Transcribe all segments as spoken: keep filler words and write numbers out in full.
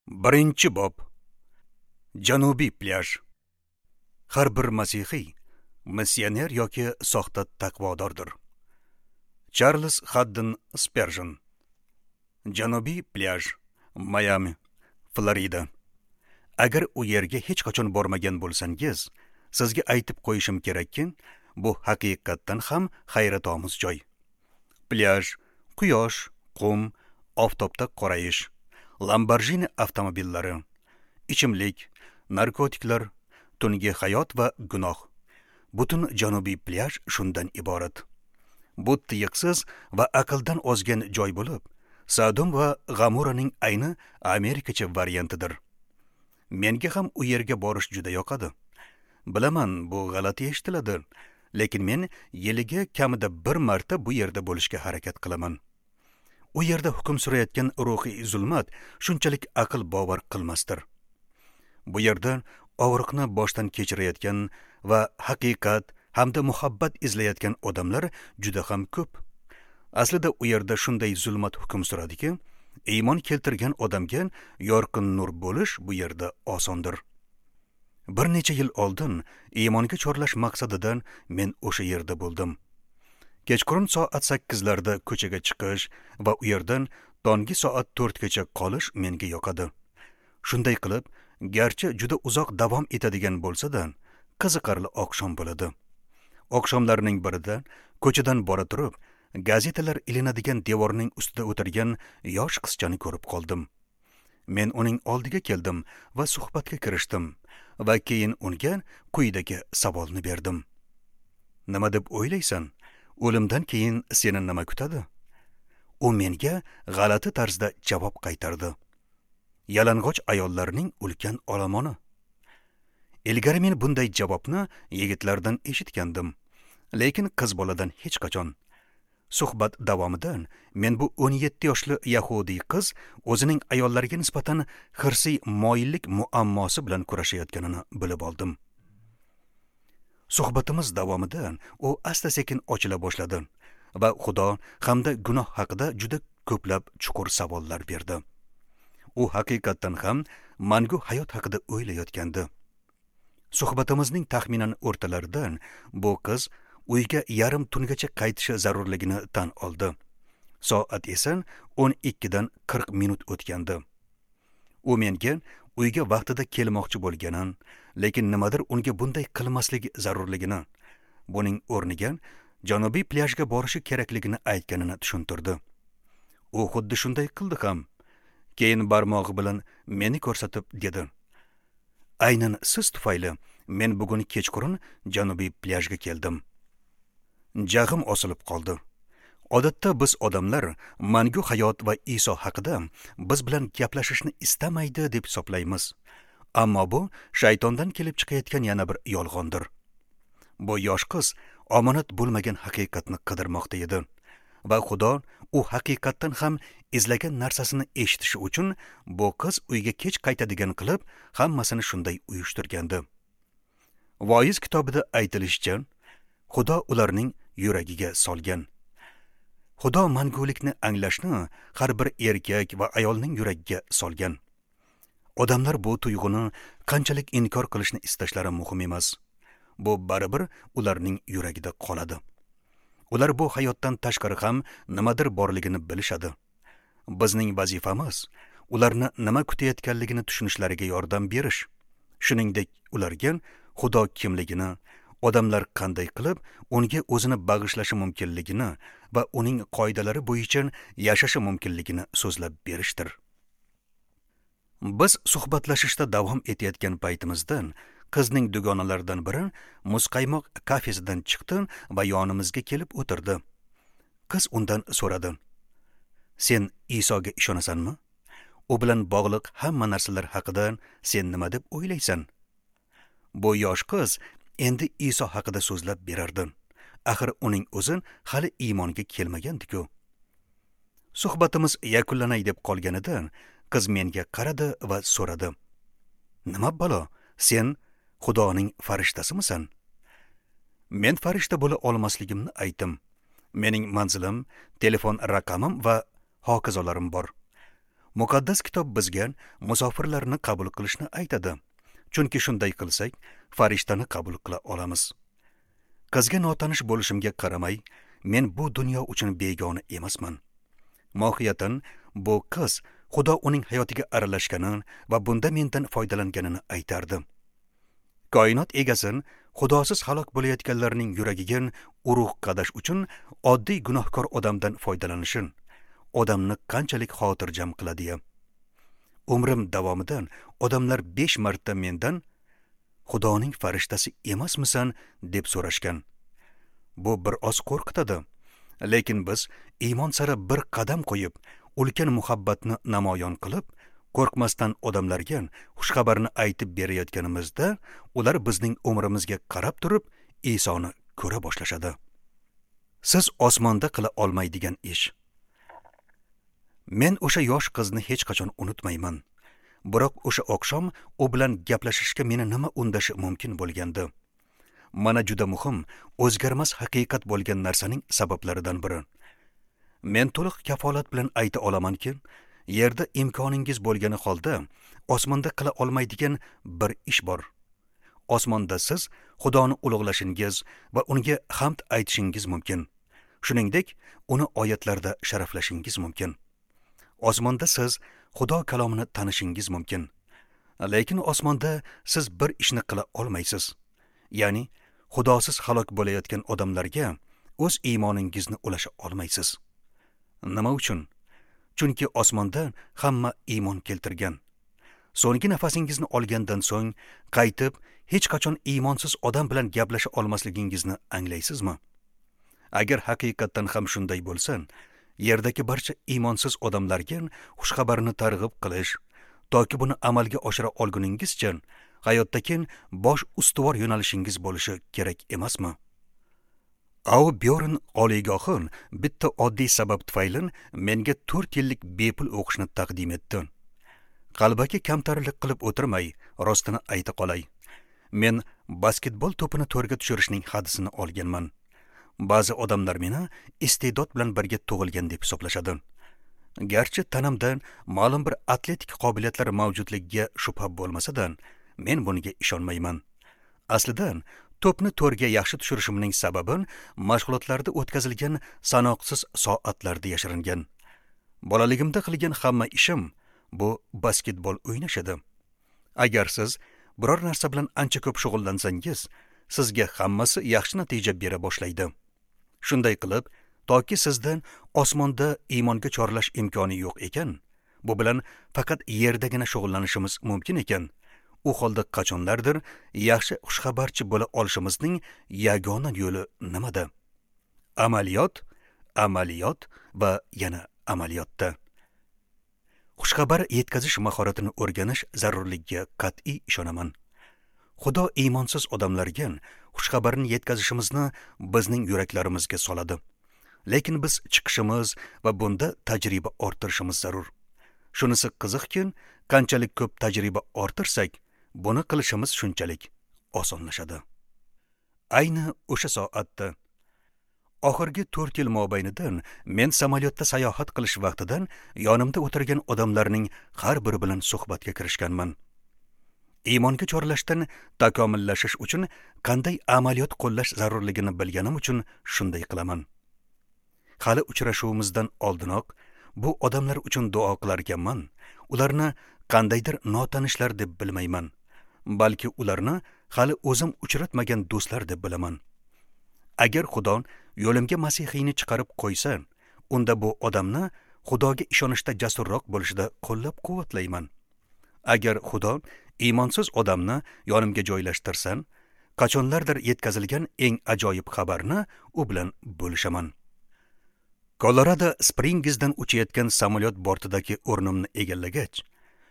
Birinchi bob. Janubiy plyaj. Har bir masihiy missioner yoki soxta taqvodordir. Charles Haddon Sperjen. Janubiy plyaj, Miami, Florida. Agar u yerga hech qachon bormagan bo'lsangiz, sizga aytib qo'yishim kerakki, bu haqiqatdan ham hayratomuz joy. Plyaj, quyosh, qum, oftobda qorayish, Lamborghini avtomobillari, ichimlik, narkotiklar, tungi hayot va gunoh. Butun Janubiy plyaj shundan iborat. Bu tiyiqsiz va aqldan ozgan joy bo'lib, Sodom va G'amoraning ayni Amerikacha variantidir. Menga ham u yerga borish juda yoqadi. Bilaman, bu g'alati eshitiladi, lekin men yiliga kamida bir marta bu yerda bo'lishga harakat qilaman. U yerda hukm surayotgan ruhiy zulmat shunchalik aql bovar qilmasdir. Bu yerda og'riqni boshdan kechirayotgan va haqiqat hamda muhabbat izlayotgan odamlar juda ham ko'p. Aslida u yerda shunday zulmat hukm suradiki, iymon keltirgan odamga yorqin nur bo'lish bu yerda osondir. Bir necha yil oldin iymonga chorlash maqsadidan men o'sha yerda bo'ldim. Kechqurun soat sakkizlarda ko'chaga chiqish va u yerdan tonggi soat to'rtgacha qolish menga yoqadi. Shunday qilib, garchi juda uzoq davom etadigan bo'lsa-da, qiziqarli oqshom bo'ladi. Oqshomlarning birida ko'chadan bora turib, gazetalar ilinadigan devorning ustida o'tirgan yosh qizchani ko'rib qoldim. Men uning oldiga keldim va suhbatga kirishdim va keyin unga quyidagi savolni berdim. Nima deb o'ylaysan? O'limdan keyin seni nima kutadi? U menga g'alati tarzda javob qaytardi. Yalang'och ayollarning ulkan olomoni. Ilgari men bunday javobni yigitlardan eshitgandim, lekin qiz boladan hech qachon. Suhbat davomida men bu o'n yetti yoshli yahudiy qiz o'zining ayollarga nisbatan hirsiy moyillik muammosi bilan kurashayotganini bilib oldim. Suhbatimiz davomida u asta-sekin ochila boshladi va Xudo hamda gunoh haqida juda ko'plab chuqur savollar berdi. U haqiqatdan ham mangu hayot haqida o'ylayotgandi. Suhbatimizning taxminan o'rtalaridan bu qiz uyga yarim tungacha qaytishi zarurligini tan oldi. Soat esa o'n ikkidan qirq minut o'tgandi. U menga uyga vaqtida kelmoqchi bo'lganini, lekin nimadir unga bunday qilmasligi zarurligini, buning o'rniga Janubiy plyajga borishi kerakligini aytganini tushuntirdi. U xuddi shunday qildi ham. Keyin barmog'i bilan meni ko'rsatib dedi: "Aynan siz tufayli men bugun kechqurun Janubiy plyajga keldim." Jag'im osilib qoldi. Odatda biz odamlar mangu hayot va Iso haqida biz bilan gaplashishni istamaydi deb hisoblaymiz. Ammo bu shaytondan kelib chiqayotgan yana bir yolg'ondir. Bu yosh qiz omonat bo'lmagan haqiqatni qidirmoqda edi va Xudo u haqiqatdan ham izlagan narsasini eshitishi uchun bu qiz uyga kech qaytadigan qilib hammasini shunday uyushtirgandi. Voiz kitobida aytilishicha, Xudo ularning yuragiga solgan. Xudo mangulikni anglashni har bir erkak va ayolning yuragiga solgan. Odamlar bu tuyg'uni qanchalik inkor qilishni istashlari muhim emas. Bu baribir ularning yuragida qoladi. Ular bu hayotdan tashqari ham nimadir borligini bilishadi. Bizning vazifamiz ularni nima kutayotganligini tushunishlariga yordam berish. Shuningdek, ularga Xudo kimligini, odamlar qanday qilib unga o'zini bag'ishlashi mumkinligini va uning qoidalari bo'yicha yashashi mumkinligini so'zlab berishdir. Biz suhbatlashishda davom etayotgan paytimizda qizning dugonalaridan biri muzqaymoq kafesidan chiqdi va yonimizga kelib o'tirdi. Qiz undan so'radi: "Sen Isoga ishonasanmi? U bilan bog'liq hamma narsalar haqida sen nima deb o'ylaysan?" Bu yosh qiz endi Iso haqida so'zlab berardi. Axir uning o'zi hali iymonga kelmagandi-ku. Suhbatimiz yakunlanay deb qolganida qiz menga qaradi va so'radi: "Nima balo, sen Xudoning farishtasimisan?" Men farishta bo'la olmasligimni aytdim. Mening manzilim, telefon raqamim va hokazolarim bor. Muqaddas kitob bizga musofirlarni qabul qilishni aytadi. Chunki shunday qilsak, farishtani qabul qila olamiz. Qizga notanish bo'lishimga qaramay, men bu dunyo uchun begona emasman. Mohiyatan bu qiz Xudo uning hayotiga aralashganini va bunda mendan foydalanganini aytardi. Koinot egasi Xudosiz halok bo'layotganlarning yuragiga urug' qadash uchun oddiy gunohkor odamdan foydalanishi odamni qanchalik xotirjam qiladi-ya. Umrim davomida odamlar besh marta mendan Xudoning farishtasi emasmisan deb so'rashgan. Bu bir oz qo'rqitadi. Lekin biz iymon sari bir qadam qo'yib, ulkan muhabbatni namoyon qilib, qo'rqmasdan odamlarga xushxabarni aytib berayotganimizda, ular bizning umrimizga qarab turib, Isoni ko'ra boshlashadi. Siz osmonda qila olmaydigan ish. Men o'sha yosh qizni hech qachon unutmayman. Biroq o'sha oqshom u bilan gaplashishga meni nima undashi mumkin bo'lgandi. Mana juda muhim, o'zgarmas haqiqat bo'lgan narsaning sabablaridan biri. Men to'liq kafolat bilan ayta olamanki, yerda imkoningiz bo'lgani holda osmonda qila olmaydigan bir ish bor. Osmonda siz Xudoni ulug'lashingiz va unga hamd aytishingiz mumkin. Shuningdek, uni oyatlarda sharaflashingiz mumkin. Osmonda siz Xudo kalomini tanishingiz mumkin. Lekin osmonda siz bir ishni qila olmaysiz. Ya'ni Xudosiz halok bo'layotgan odamlarga o'z iymoningizni ulasha olmaysiz. Nima uchun? Chunki osmonda hamma iymon keltirgan. So'nggi nafasingizni olgandan so'ng qaytib hech qachon iymonsiz odam bilan gaplasha olmasligingizni anglaysizmi? Agar haqiqatdan ham shunday bo'lsa, yerdagi barcha iymonsiz odamlarga xushxabarni targ'ib qilish, toki buni amalga oshira olguningizcha hayotdagi bosh ustuvor yo'nalishingiz bo'lishi kerak emasmi? Auburn oliygohi bitta oddiy sabab tufayli menga to'rt yillik bepul o'qishni taqdim etdi. Qalbaki kamtarlik qilib o'tirmay, rostini ayta qolay. Men basketbol to'pini to'rga tushirishning hadisini olganman. Ba'zi odamlar meni iste'dod bilan birga tug'ilgan deb hisoblashadi. Garchi tanamda ma'lum bir atletik qobiliyatlar mavjudligiga shubha bo'lmasa-da, men bunga ishonmayman. Aslida to'pni to'rga yaxshi tushirishimning sababi mashg'ulotlarda o'tkazilgan sanoqsiz soatlarda yashiringan. Bolaligimda qilgan hamma ishim bu basketbol o'ynash edi. Agar siz biror narsa bilan ancha ko'p shug'ullansangiz, sizga hammasi yaxshi natija bera boshlaydi. Shunday qilib, toki sizdan osmonda iymonga chorlash imkoni yo'q ekan, bu bilan faqat yerdagina shug'ullanishimiz mumkin ekan, u holda qachonlardir yaxshi xushxabarchi bo'la olishimizning yagona yo'li nimada? Amaliyot, amaliyot va yana amaliyotda. Xushxabar yetkazish mahoratini o'rganish zarurligiga qat'iy ishonaman. Xudo iymonsiz odamlarga xushxabarni yetkazishimizni bizning yuraklarimizga soladi. Lekin biz chiqishimiz va bunda tajriba orttirishimiz zarur. Shunisi qiziqki, qanchalik ko'p tajriba orttirsak, buni qilishimiz shunchalik osonlashadi. Ayni o'sha soatda oxirgi to'rt yil mobaynida men samolyotda sayohat qilish vaqtidan yonimda o'tirgan odamlarning har biri bilan suhbatga kirishganman. Iymonga chorlashdan takomillashish uchun qanday amaliyot qo'llash zarurligini bilganim uchun shunday qilaman. Hali uchrashuvimizdan oldinoq bu odamlar uchun duo qilar ekanman, ularni qandaydir notanishlar deb bilmayman, balki ularni hali o'zim uchratmagan do'stlar deb bilaman. Agar Xudo yo'limga Masihiyni chiqarib qo'ysa, unda bu odamni Xudoga ishonishda jasurroq bo'lishida qo'llab-quvvatlayman. Agar Xudo iymonsiz odamni yonimga joylashtirsa, qachonlardir yetkazilgan eng ajoyib xabarni u bilan bo'lishaman. Kolorado Springizdan uchayotgan samolyot bortidagi o'rnimni egallagach,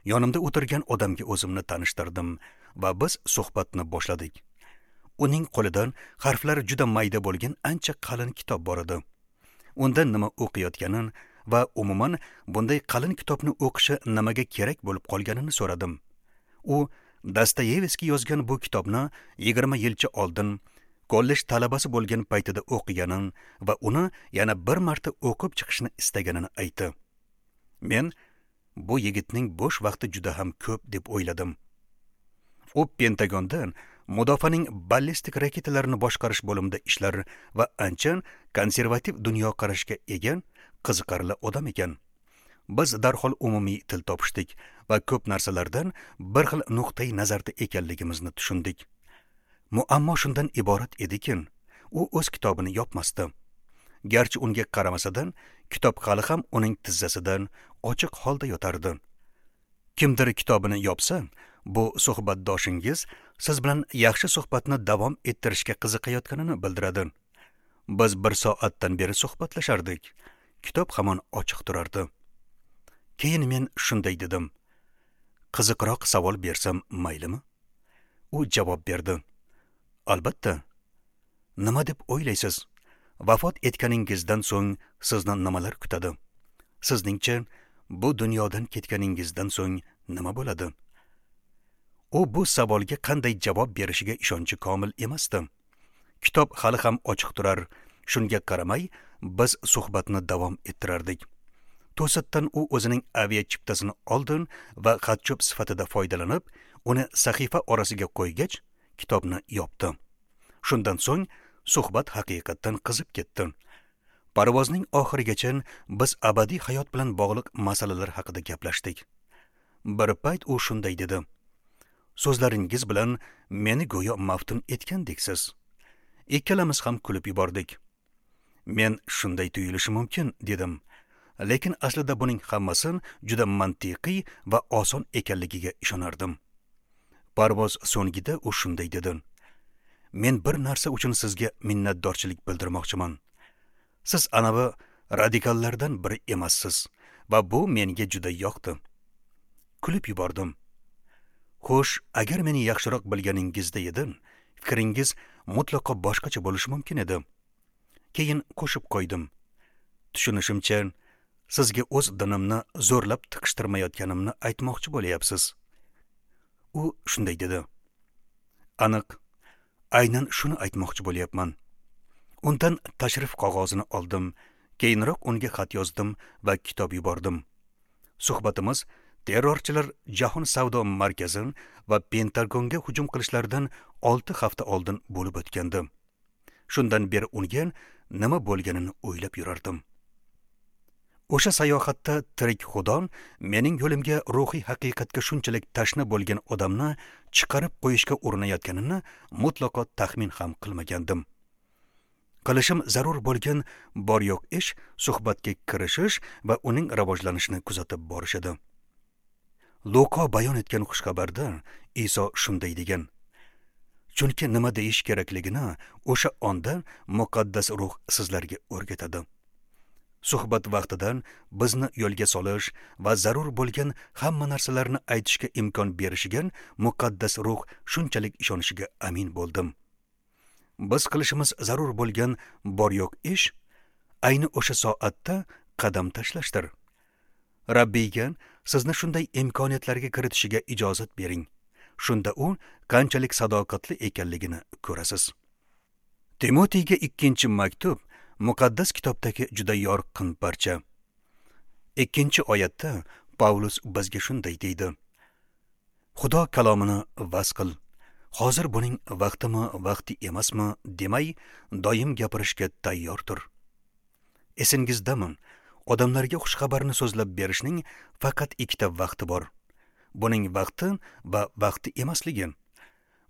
yonimda o'tirgan odamga o'zimni tanishtirdim va biz suhbatni boshladik. Uning qo'lidan harflari juda mayda bo'lgan ancha qalin kitob bor edi. Unda nima o'qiyotganini va umuman bunday qalin kitobni o'qishi nimaga kerak bo'lib qolganini so'radim. U Dostoyevskiy yozgan bu kitobni yigirma yilcha oldin kollej talabasi bo'lgan paytida o'qiganini va uni yana bir marta o'qib chiqishni istaganini aytdi. Men Bu yigitning bo'sh vaqti juda ham ko'p deb o'yladim. U Pentagondan mudofaaning ballistik raketalarini boshqarish bo'limida ishlar va ancha konservativ dunyoqarashga ega qiziqarli odam ekan. Biz darhol umumiy til topishdik va ko'p narsalardan bir xil nuqtai nazarda ekanligimizni tushundik. Muammo shundan iborat ediki, u o'z kitobini yopmasdi. Garchi unga qaramasadan, kitob hali ham uning tizzasidan ochiq holda yotardi. Kimdir kitobini yopsa, bu suhbatdoshingiz siz bilan yaxshi suhbatni davom ettirishga qiziqayotganini bildiradi. Biz bir soatdan beri suhbatlashardik. Kitob hamon ochiq turardi. Keyin men shunday dedim: "Qiziqroq savol bersam maylimi?" U javob berdi: "Albatta. Nima deb o'ylaysiz? Vafot etganingizdan so'ng sizni nimalar kutadi? Sizningcha bu dunyodan ketganingizdan so'ng nima bo'ladi?" U bu savolga qanday javob berishiga ishonchi komil emasdi. Kitob hali ham ochiq turar. Shunga qaramay biz suhbatni davom ettirardik. To'satdan u o'zining aviachiptasini oldi va xatcho'p sifatida foydalanib, uni sahifa orasiga qo'ygach, kitobni yopdi. Shundan so'ng suhbat haqiqatdan qizib ketdi. Parvozning oxirigacha biz abadiy hayot bilan bog'liq masalalar haqida gaplashdik. Bir payt u shunday dedi: "So'zlaringiz bilan meni go'yo maftun etgandeksiz." Ikkalamiz ham kulib yubordik. Men shunday tuyulishi mumkin dedim. Lekin aslida buning hammasi juda mantiqiy va oson ekanligiga ishonardim. Parvoz so'ngida u shunday dedi: "Men bir narsa uchun sizga minnatdorchilik bildirmoqchiman. Siz anavi radikallardan biri emassiz va bu menga juda yoqdi." Kulib yubordim. Xo'sh, agar meni yaxshiroq bilganingizda edi, fikringiz mutlaqo boshqacha bo'lishi mumkin edi. Keyin qo'shib qo'ydim: "Tushunishimcha, sizga o'z dinimni zo'rlab tiqishtirmayotganimni aytmoqchi bo'lyapsiz." U shunday dedi: "Aniq, aynan shuni aytmoqchi bo'lyapman." Undan tashrif qog'ozini oldim, keyinroq unga xat yozdim va kitob yubordim. Suhbatimiz terrorchilar Jahon savdo markazi va Pentagonga hujum qilishlaridan olti hafta oldin bo'lib o'tgandi. Shundan beri unga nima bo'lganini o'ylab yurardim. O'sha sayohatda tirik Xudo mening yo'limga ruhiy haqiqatga shunchalik tashna bo'lgan odamni chiqarib qo'yishga urinayotganini mutlaqo taxmin ham qilmagandim. Qilishim zarur bo'lgan bor yo'q ish suhbatga kirishish va uning rivojlanishini kuzatib borish edi. Luqa bayon etgan xushxabarda Iso shunday degan: "Chunki nima deyish kerakligini o'sha onda muqaddas ruh sizlarga o'rgatadi." Suhbat vaqtidan bizni yo'lga solish va zarur bo'lgan hamma narsalarni aytishga imkon berishiga muqaddas ruh shunchalik ishonishiga amin bo'ldim. Biz qilishimiz zarur bo'lgan bor yo'q ish ayni o'sha soatda qadam tashlashdir. Rabbiyga sizni shunday imkoniyatlarga kiritishiga ijozat bering. Shunda u qanchalik sadoqatli ekanligini ko'rasiz. Timotiyga ikkinchi maktub muqaddas kitobdagi juda yorqin parcha. Ikkinchi oyatda Pavlus bizga shunday deydi: "Xudo kalomini vaz qil. Hozir buning vaqtimi, vaqti emasmi demay, doim gapirishga tayyor tur." Esingizdami? Odamlarga xushxabarni so'zlab berishning faqat ikkita vaqti bor. Buning vaqti va vaqti emasligi.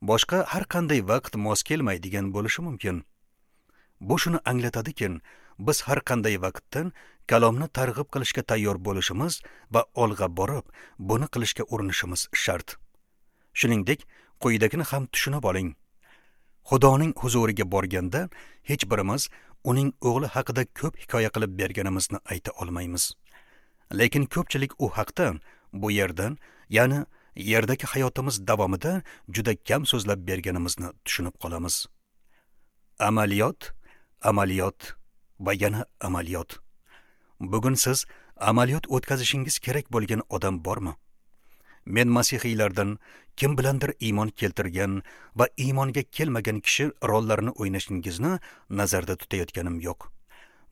Boshqa har qanday vaqt mos kelmaydigan bo'lishi mumkin. Bu shuni anglatadiki, biz har qanday vaqtdan kalomni targ'ib qilishga tayyor bo'lishimiz va olg'a borib, buni qilishga urinishimiz shart. Shuningdek, quyidagini ham tushunib oling. Xudoning huzuriga borganda hech birimiz uning o'g'li haqida ko'p hikoya qilib berganimizni ayta olmaymiz. Lekin ko'pchilik u haqda bu yerdan, ya'ni yerdagi hayotimiz davomida juda kam so'zlab berganimizni tushunib qolamiz. Amaliyot, amaliyot va yana amaliyot. Bugun siz amaliyot o'tkazishingiz kerak bo'lgan odam bormi? Men masihiylardan kim bilandir iymon keltirgan va iymonga kelmagan kishi rollarini o'ynashingizni nazarda tutayotganim yo'q.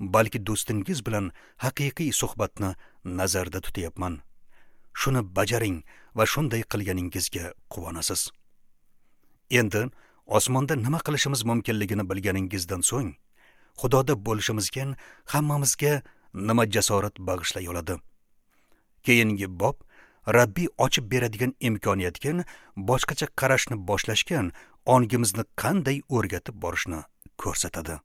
Balki do'stingiz bilan haqiqiy suhbatni nazarda tutayapman. Shuni bajaring va shunday qilganingizga quvonasiz. Endi osmonda nima qilishimiz mumkinligini bilganingizdan so'ng, Xudoda bo'lishimizga hammamizga nima jasorat bag'ishlay oladi? Keyingi bob Rabbiy ochib beradigan imkoniyatga boshqacha qarashni boshlashgan ongimizni qanday o'rgatib borishni ko'rsatadi.